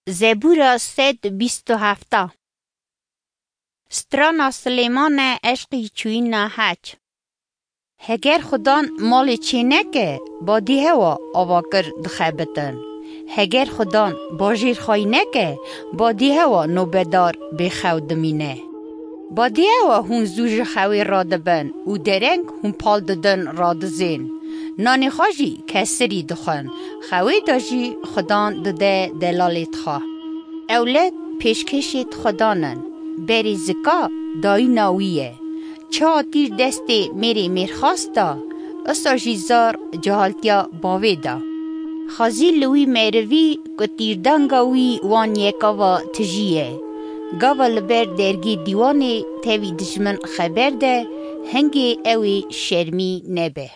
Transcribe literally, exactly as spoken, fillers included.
Zebûra sed bîst û heft. Strana Silêmane eşqî çûyîna hec. Heger Xudan malê çê neke, badî hewa avakir dixebitin. Heger Xudan bajêr xay neke, badî hewa nobedar bêxew dimîne. Badî hewa hûn zû ji xewê radibin û dereng hûn pal didin radizên. Nanê xwe jî kesirî dixwin, xewê de jî Xudan dide delalê dixwe. Ewled pêşkêşê Xudan in, berê zika dayîna wî ye. Çiha tîr destê mêrê mêrxas da, isa jî zar cehaltiya bavê da. Xazî li wî merivî ku tîrdanga wî wan yekava tijî ye. Gava li ber dergê dîwanê tevî dijmin xeber de, hingê ew ê şermî nebe.